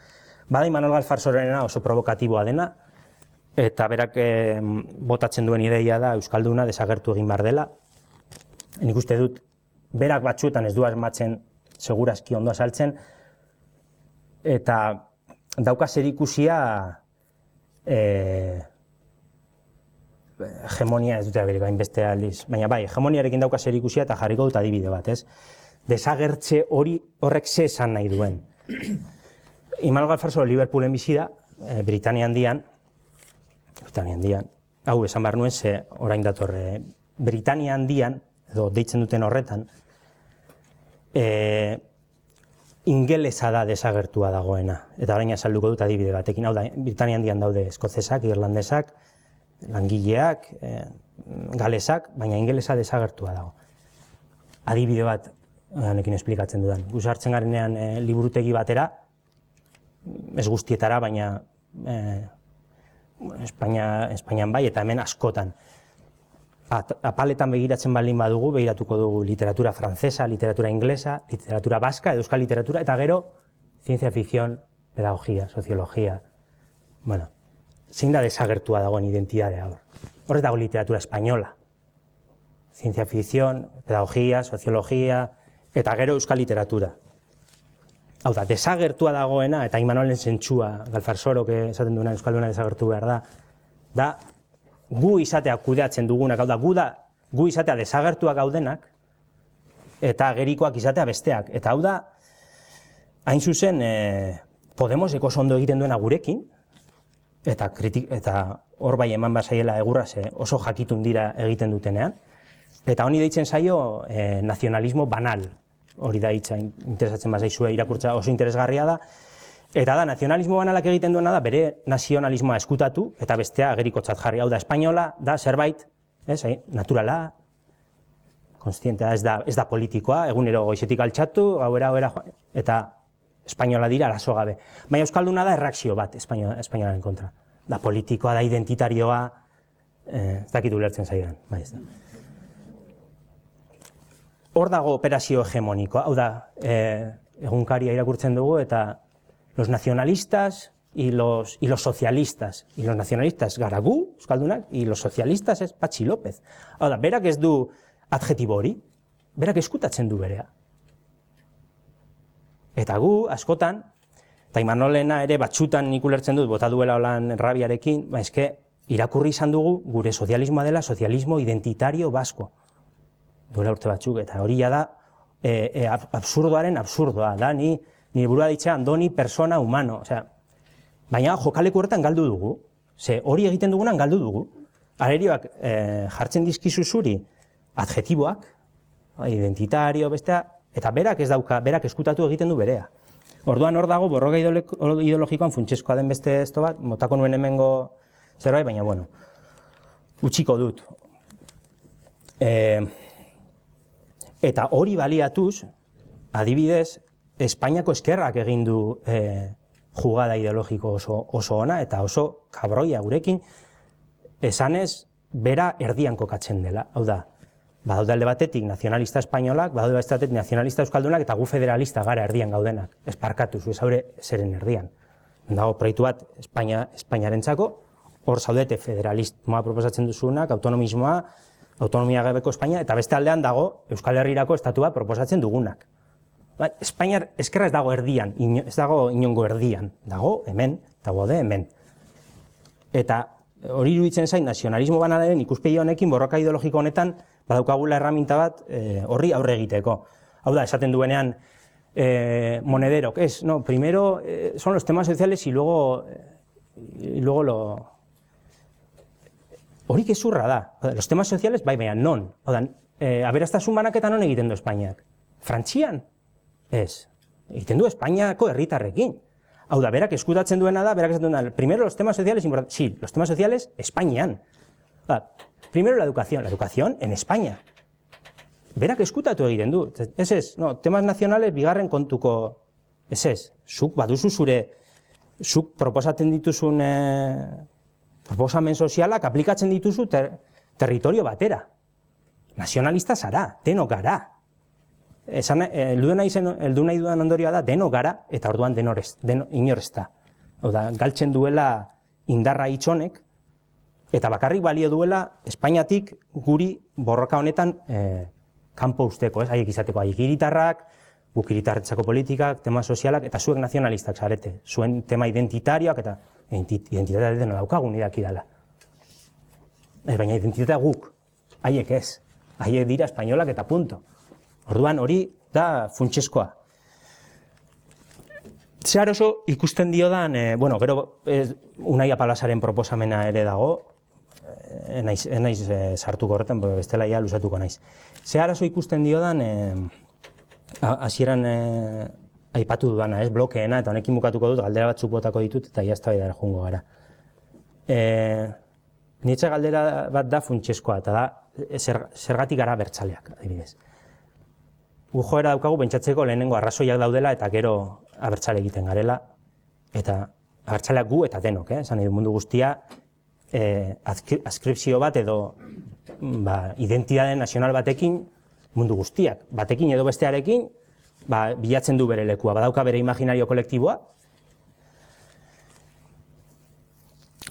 Bada Imanol Galfarsorena oso provokatiboa dena, eta berak botatzen duen ideia da Euskalduna desagertu egin behar dela. Nik uste dut, berak batzuetan ez du asmatzen, segurazki ondo azaltzen, eta dauka zerikusia hegemonia, ez dute aberik hainbeste aldiz, baina bai, hegemoniarekin dauka zerikusia eta jarriko dut adibide bat, ez? Desagertze horrek ze esan nahi duen. Imanol Galfarsoro Liverpoolen bizi da, Britania Handian, hau esan behar nuen, ze orain datorre, Britania Handian, edo deitzen duten horretan, ingelesa da desagertua dagoena, eta orain azalduko dut adibide batekin, hau da, Britania Handian daude eskozesak, irlandesak, langileak, galesak, baina ingelesa desagertua dago. Adibide bat, honekin esplikatzen dudan. Guz hartzen garenean liburutegi batera, ez guztietara, baina Espainian bai, eta hemen askotan. Apaletan begiratzen baldin badugu, begiratuko dugu literatura frantzesa, literatura inglesa, literatura baska, euskal literatura, eta gero, ciencia ficción, pedagogia, soziologia. Bueno, zein da desagertua dagoen identidadea hor. Horrez dago literatura espainola. Ciencia ficción, pedagogia, soziologia, eta gero euskal literatura. Hau da, desagertua dagoena, eta Imanolen zentsua, Galfarsorok esaten duena euskalduna desagertu behar da gu izatea kudeatzen dugunak, hau da, gu izatea desagertuak gaudenak, eta gerikoak izatea besteak. Eta hau da, hain zuzen, Podemosek oso ondo egiten duena gurekin, eta hor bai eman bazaiela egurra oso jakitun dira egiten dutenean, eta honi deitzen zaio nazionalismo banal, hori da hitza interesatzen bazaizue irakurtza oso interesgarria da, eta da, nazionalismo banalak egiten duena da, bere nazionalismoa eskutatu, eta bestea agerikotzat jarri, hau da, espainola, da, zerbait, naturala, konstientea, ez da politikoa, egunero goizetik altxatu, gauera joan, eta espainola dira arazo gabe. Baina euskalduna da erreakzio bat espainolaren kontra. Da politikoa, da identitarioa, ez dakit ulertzen zaidan. Hor dago operazio hegemonikoa, hau da, egunkaria irakurtzen dugu, eta los nacionalistas y los socialistas. Y los nacionalistas gara gu, euskaldunak, y los socialistas es Patxi López. Hau da, berak ez du adjetibo hori, berak eskutatzen du berea. Eta gu, askotan, eta Imanolena ere batxutan nik ulertzen dut, bota duela holan rabiarekin, eske irakurri izan dugu gure sozialismoa dela sozialismo identitario basko. Duela urte batzuk, eta hori da absurdoaren absurdoa, da, nire burua ditxe andoni persona humano, osea, baina jokaleku horretan galdu dugu, ze hori egiten dugunan galdu dugu, arerioak jartzen dizkizu zuri adjetiboak, identitario, bestea, eta berak ez dauka, berak eskutatu egiten du berea. Orduan hor dago, borroka ideologikoan funtsezkoa den beste esto bat, motako nuen hemengo zerbait, baina bueno, utxiko dut. Eta hori baliatuz, adibidez, Espainiako eskerrak egin du jugada ideologiko oso ona, eta oso kabroia gurekin, esanez, bera erdian kokatzen dela. Hau da, badaude alde batetik nazionalista espainolak, badaude batetik nazionalista euskaldunak, eta gu federalista gara erdian gaudenak. Ez parkatu, zu ez haure zeren erdian. Dago proiektu bat Espainiarentzako, hor zaudete federalismoa proposatzen duzunak, autonomismoa, autonomia gabeko Espainia, eta beste aldean dago Euskal Herrirako estatu bat proposatzen dugunak. Espainiar eskerra ez dago erdian, ez dago inongo erdian, dago hemen, eta gode hemen. Eta hori iruditzen zain nazionalismo banalaren ikuspegi honekin, borroka ideologiko honetan, badaukagula erraminta bat horri aurre egiteko. Hau da, esaten duenean Monederok, no, primero son los temas sociales y luego lo... Hori gezurra da. Los temas sociales, baina non. Aberastasun banaketa non egiten du Espainiak? Frantzian? Ez. Egiten du Espainiako herritarrekin. Hau da, berak eskutatzen duena da, berak esaten duena, primero los temas sociales, sí, los temas sociales, Espainian. Primero la educación en España. Berak eskutatu egiten du. Ez, no, temas nacionales, bigarren kontuko, ez, zuk baduzu zuk proposatzen dituzun proposamen sozialak aplikatzen dituzu territorio batera. Nazionalista zara, denok gara. Heldu nahi dudan ondorioa da, denok gara, eta orduan inor ez da. Galtzen duela indarra hitzonek, eta bakarrik balio duela Espainiatik guri borroka honetan kanpo usteko, haiek izateko, haiek hiritarrak, guk hiritarretzako politikak, tema sozialak, eta zuek nazionalistak zarete, zuen tema identitarioak, eta identitatea dena daukagun idaki dela. Baina identitatea guk, haiek ez, haiek dira espainolak eta punto. Orduan hori da funtsezkoa. Zehar oso ikusten diodan, gero Unai Apalasaren proposamena ere dago, naiz sartuko horretan, bestela ja luzatuko naiz. Zehar oso ikusten diodan, hasieran aipatu dudana, blokeena, eta honekin bukatuko dut, galdera batzuk botako ditut, eta jaztabaidara joango gara. Nitze galdera bat da funtsezkoa, eta da, zergatik gara abertzaleak, adibidez. Joera daukagu pentsatzeko lehenengo arrazoiak daudela, eta gero abertzale egiten garela, eta abertzaleak gu eta denok, esan nahi du mundu guztia, adskripzio bat edo identitate nazional batekin mundu guztiak, batekin edo bestearekin, bilatzen du bere lekua, badauka bere imaginario kolektiboa.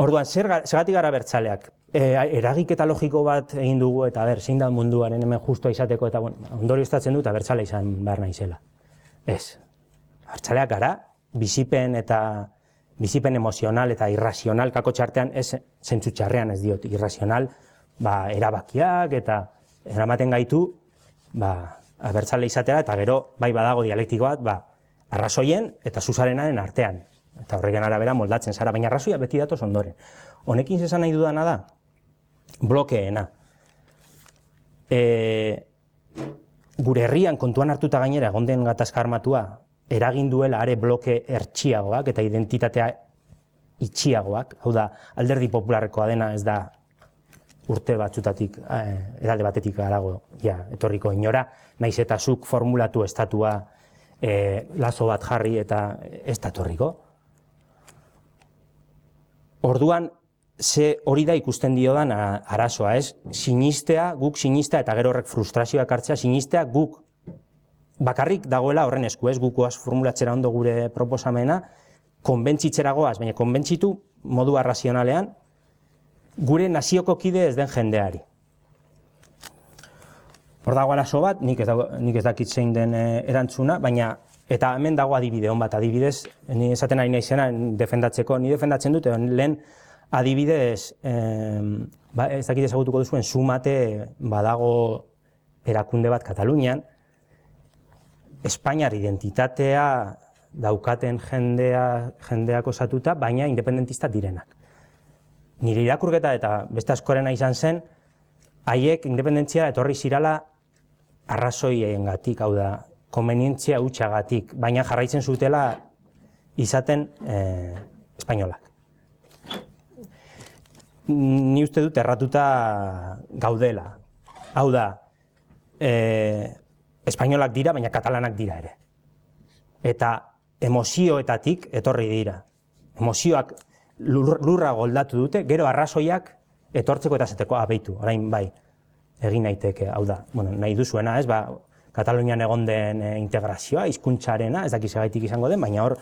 Orduan, zergatik gara abertzaleak? Eragiketa logiko bat egin dugu, eta zein da munduaren hemen justua izateko, eta ondorioztatzen dut abertzale izan behar naizela. Ez, abertzaleak gara, bizipen emozional eta irrazional kako txartean, ez zentzu txarrean ez diot, irrazional, erabakiak eta eramaten gaitu, abertzale izatera, eta gero, badago dialektiko bat, arrazoien eta zuzarenaren artean. Eta horreken arabera moldatzen zara, baina arrazoia beti datoz ondoren. Honekin zesan nahi dudana da, blokeena. Gure herrian kontuan hartuta gainera, egon gatazka armatua, eragin duela are bloke hertsiagoak eta identitatea itxiagoak, hau da, alderdi popularrekoa dena ez da urte batzutatik, edalde batetik harago, etorriko inora, naiz eta zuk formulatu estatua lazo bat jarri eta ez da etorriko. Orduan, ze hori da ikusten diodan arazoa, ez? Sinistea, guk sinistea eta gero horrek frustrazioak hartzea, sinistea guk bakarrik dagoela horren esku, ez? Guk goaz formulatzera ondo gure proposamena, konbentzitzera goaz, baina konbentzitu modu arrazionalean, gure nazioko kide ez den jendeari. Hor dago arazo bat, nik ez dakit zein den erantzuna, baina eta hemen dago adibide hon bat, adibidez, ni esaten ari naizena defendatzeko, ni defendatzen dut, lehen adibidez, ez dakit ezagutuko duzuen, Sumate badago erakunde bat Katalunian, Espainiar identitatea daukaten jendeak osatuta, baina independentista direnak. Nire irakurketa eta beste askorena izan zen, haiek independentzia etorri zirala arrazoiengatik, hau da, konbenientzia hutsagatik, baina jarraitzen zutela izaten espainolak. Ni uste dut erratuta gaudela. Hau da, espainolak dira, baina katalanak dira ere. Eta emozioetatik etorri dira. Emozioak lurra goldatu dute, gero arrazoiak etortzeko eta zeteko abeitu, orain bai, egin naiteke, hau da, nahi duzuena, ez, Katalunian egon den integrazioa, hizkuntzarena, ez dakiz egaitik izango den, baina hor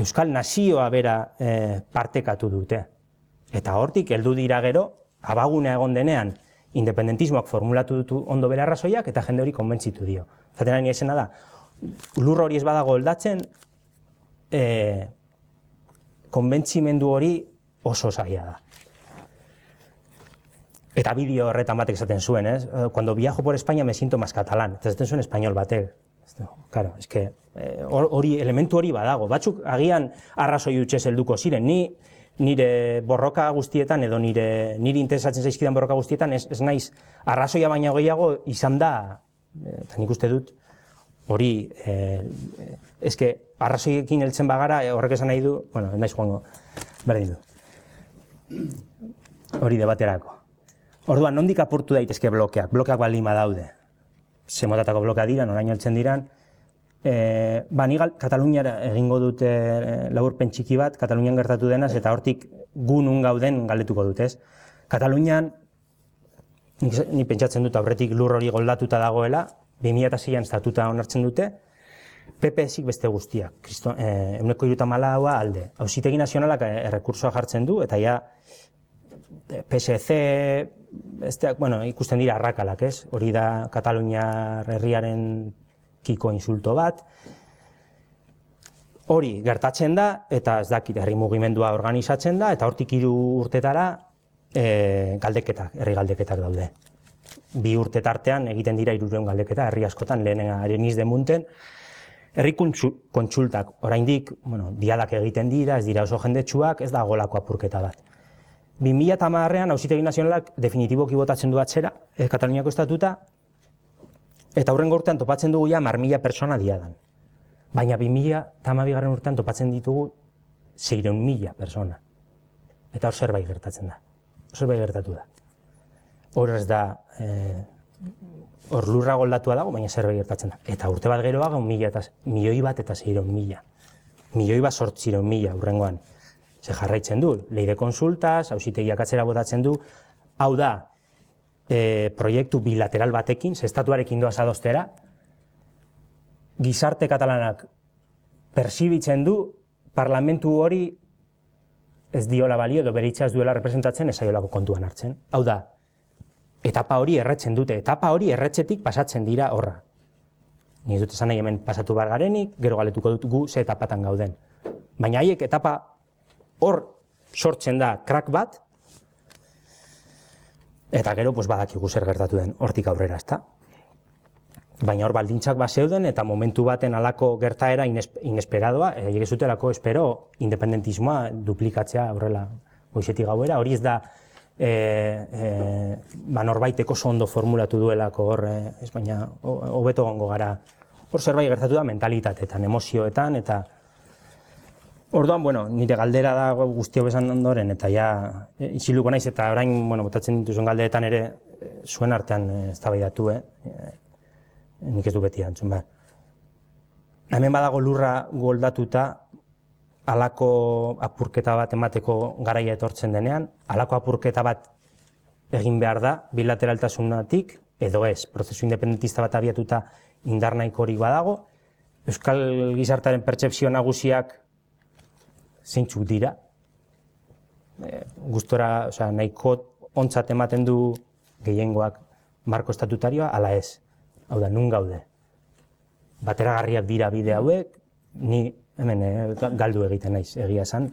Euskal Nazioa bera partekatu dute. Eta hortik heldu dira gero, abagunea egon denean, independentismoak formulatu dutu ondo bere arrazoiak eta jende hori konbentzitu dio. Zaten ari esena da, lur hori ez badago oldatzen, konbentzimendu hori oso zaila da. Eta bideo horretan batek esaten zuen, ez? Cuando viajo por España me siento más catalán. Eta esaten zuen espainol batek. Claro, es que elementu hori badago. Batzuk agian arrazoi hutsez helduko ziren. Nire borroka guztietan edo niri interesatzen zaizkidan borroka guztietan ez naiz arrazoia baina gehiago izan da, eta nik uste dut, hori, eske arrazoiekin heltzen bagara horrek esan nahi du, ez naiz joango, berdin du. Hori debaterako. Orduan, nondik apurtu daitezke blokeak? Blokeak baldin badaude. Ze motatako blokea dira, noraino heltzen diran. Ni Kataluniara egingo dute laburpen txiki bat, Katalunian gertatu denaz, eta hortik gu nun gauden galdetuko dut, ez? Katalunian, ni pentsatzen dut aurretik lur hori goldatuta dagoela, 2006an estatuta onartzen dute, PP-zik beste guztiak, 134 alde. Auzitegi Nazionalak errekursoa jartzen du, eta ja PSC, ikusten dira arrakalak, ez? Hori da Kataluniar herriaren kiko insulto bat. Hori gertatzen da, eta ez dakit herri mugimendua organizatzen da, eta hortik 3 urtetara galdeketak, herri galdeketak daude. 2 urte tartean egiten dira 300 galdeketa, herri askotan lehenenga Areniz de Munten. Herri kontsultak, oraindik, diadak egiten dira, ez dira oso jendetsuak, ez da golako apurketa bat. 2010an Auzitegi Nazionalak definitiboki botatzen du atzera, Kataluniako estatuta, eta hurrengo urtean topatzen dugu ja 10.000 pertsona diadan. Baina 2012 urtean topatzen ditugu 600.000 pertsona. Eta hor zerbait gertatzen da. Zerbait gertatu da. Hor ez da, hor lurra goldatua dago, baina zerbait gertatzen da. Eta urte bat geroaga, 1.000 bat eta 600.000. 1.000 bat 800.000 hurrengoan. Ze jarraitzen du, lei de konsultas, auzitegiak atzera botatzen du, hau da, proiektu bilateral batekin, estatuarekin doaz adostera, gizarte katalanak persibitzen du, parlamentu hori ez diola balio edo bere hitza ez duela representatzen ezaiolako kontuan hartzen. Hau da, etapa hori erretzen dute, etapa hori erretzetik pasatzen dira horra. Ni dut esan nahi hemen pasatu bar garenik, gero galetuko dut gu ze etapatan gauden. Baina haiek etapa hor sortzen da krak bat, eta gero badakigu zer gertatu den hortik aurrera, ezta? Baina hor baldintzak zeuden eta momentu baten halako gertaera inesperadoa, ez zutelako espero independentismoa duplikatzea horrela goizetik gauera, hori ez da norbaiteko ondo formulatu duelako hor, baina hobeto gongo gara, hor zerbait gertatu da mentalitateetan, emozioetan, eta Orduan, nire galdera da guztio bezan ondoren, eta ja, isiluko naiz, eta orain, botatzen dituzuen galderetan ere, zuen artean eztabaidatu, nik ez du beti antzun, Hemen badago lurra goldatuta, halako apurketa bat emateko garaia etortzen denean, halako apurketa bat egin behar da, bilateraltasunatik, edo ez, prozesu independentista bat abiatuta indar nahikorik badago, Euskal gizartaren pertsepzio nagusiak zeintzuk dira. Gustora, nahiko ontzat ematen du gehiengoak marko estatutarioa, ala ez. Hau da, nun gaude. Bateragarriak dira bide hauek, ni hemen galdu egiten naiz, egia esan,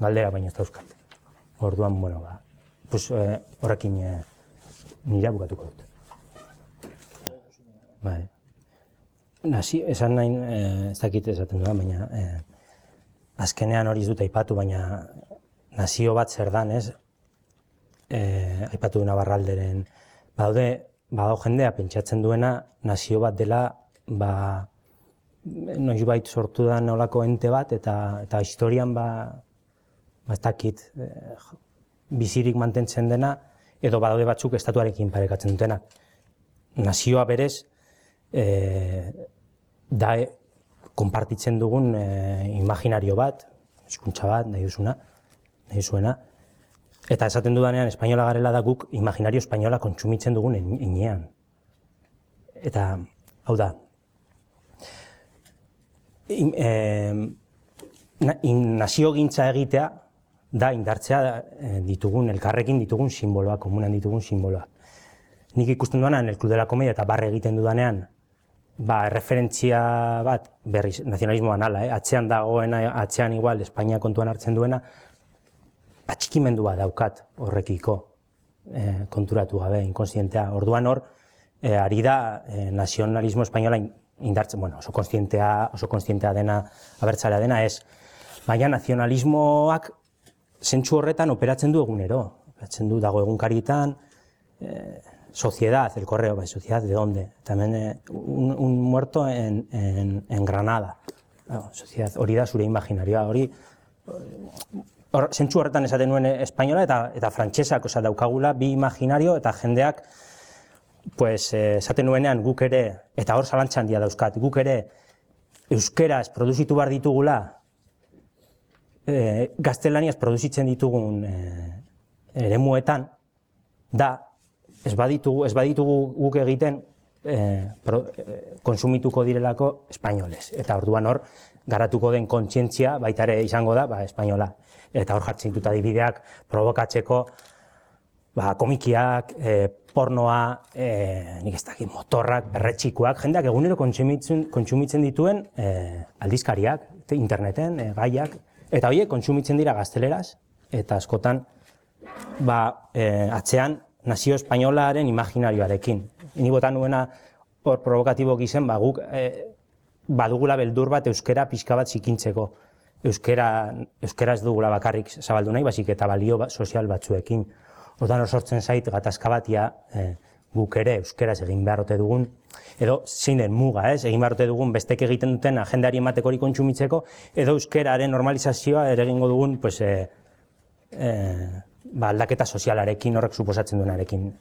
galdera baina ez dauzkat. Orduan, horrekin nira bukatuko dut. Esan nahi, ez dakit esaten duan, baina azkenean hori ez dut aipatu, baina nazio bat zer dan, ez? Aipatu du Navarralderen. Badago jendea pentsatzen duena nazio bat dela, noizbait sortu da nolako ente bat, eta historian, ez dakit, bizirik mantentzen dena, edo badaude batzuk estatuarekin parekatzen dutenak. Nazioa berez, da konpartitzen dugun imaginario bat, hizkuntza bat, nahi duzuena, eta esaten dudanean espainola garela da guk imaginario espainola kontsumitzen dugun enean. Eta, hau da, naziogintza egitea da indartzea ditugun, elkarrekin ditugun simboloak, komunan ditugun simboloak. Nik ikusten duanean, el Club de la Comedia eta barre egiten dudanean, referentzia bat, berriz, nazionalismoan ala, atzean dagoena, atzean igual, Espainia kontuan hartzen duena, atxikimendua daukat horrekiko konturatu gabe, inkonstientea. Orduan hor, ari da nazionalismo espainola indartzen, oso konstientea dena, abertzalea dena ez. Baina nazionalismoak zentzu horretan operatzen du egunero. Operatzen du dago egunkarietan, Sociedad, el correo, Sociedad, ¿de dónde? También un muerto en Granada. Sociedad, hori da zure imaginarioa, hori zentzu horretan esaten nuen espainola eta frantsesak, daukagula bi imaginario eta jendeak esaten nuenean guk ere, eta hor zalantza handia dauzkat, guk ere euskeraz produzitu behar ditugula, gaztelaniaz produzitzen ditugun eremuetan, da, ez baditugu guk egiten konsumituko direlako espainolez. Eta orduan hor, garatuko den kontzientzia baita ere izango da, espainola. Eta hor jartzen dut adibideak provokatzeko komikiak, pornoa, nik ez dakit, motorrak, berretxikoak, jendeak egunero kontsumitzen dituen aldizkariak, interneten, gaiak, eta horiek kontsumitzen dira gazteleraz, eta askotan atzean nazio espainolaren imaginarioarekin. Ni bota nuena hor provokatibo gizen, guk badugula beldur bat euskera pixka bat zikintzeko. Euskera ez dugula bakarrik zabaldu nahi, basik eta balio sozial batzuekin. Ordan hor sortzen zait gatazka batia guk ere euskeraz egin beharrote dugun, edo zein den muga, egin beharrote dugun bestek egiten duten agendari emateko hori kontsumitzeko, edo euskeraren normalizazioa ere egingo dugun aldaketa sozialarekin, horrek suposatzen duenarekin.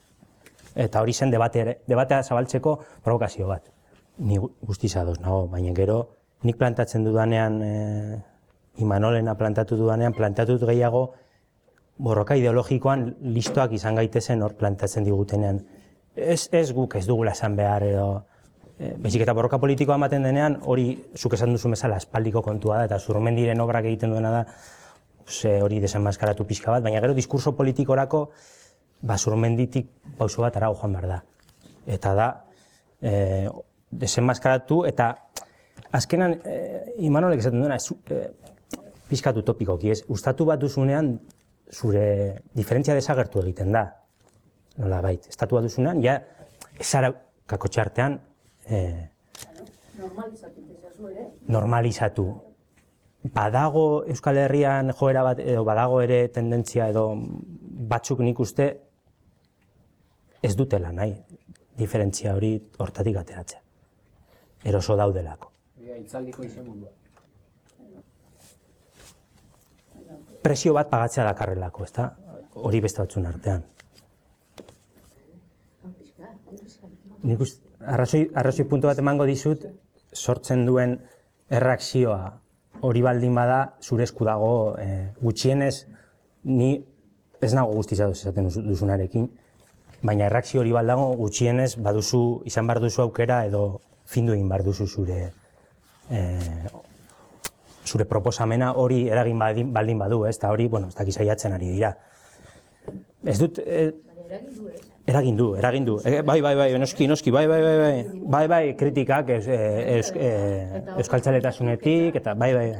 Eta hori zen debatea zabaltzeko provokazio bat. Ni guztiz ados nago, baina gero nik plantatzen dudanean, Imanolena plantatu dudanean, plantatu gehiago borroka ideologikoan listoak izan gaitezen hor plantatzen digutenean. Ez guk ez dugula esan behar edo, baizik eta borroka politikoa ematen denean, hori zuk esan duzu bezala espaldiko kontua da, eta Zurmendiren obrak egiten duena da, hori desenmaskaratu pixka bat, baina gero diskurso politikorako Zurmenditik pauso bat arago joan behar da. Eta da, desenmaskaratu eta azkenan Imanolek esaten duena pixkatu topikoki, ustatu bat duzunean zure diferentzia desagertu egiten da. Nola bait, estatu bat duzunean, ja, ezara kakotxartean normalizatu. Badago Euskal Herrian joera bat, edo badago ere tendentzia edo batzuk nik uste ez dutela nahi, diferentzia hori hortatik ateratzea. Eroso daudelako. Itzaldiko izen mundua. presio bat pagatzea dakarrelako, ezta? Hori beste batzun artean. Nik arrazoi puntu bat emango dizut, sortzen duen erreakzioa hori baldin bada, zure esku dago gutxienez, ni ez nago guztiz ados esaten duzunarekin, baina erreakzio hori baldago gutxienez baduzu, izan behar duzu aukera edo findu egin behar duzu zure proposamena hori eragin baldin badu, ez da hori, bueno, ez dakiz saiatzen ari dira. Ez dut... Eragin du. Bai, noski, bai, kritikak euskaltzaletasunetik, eta bai.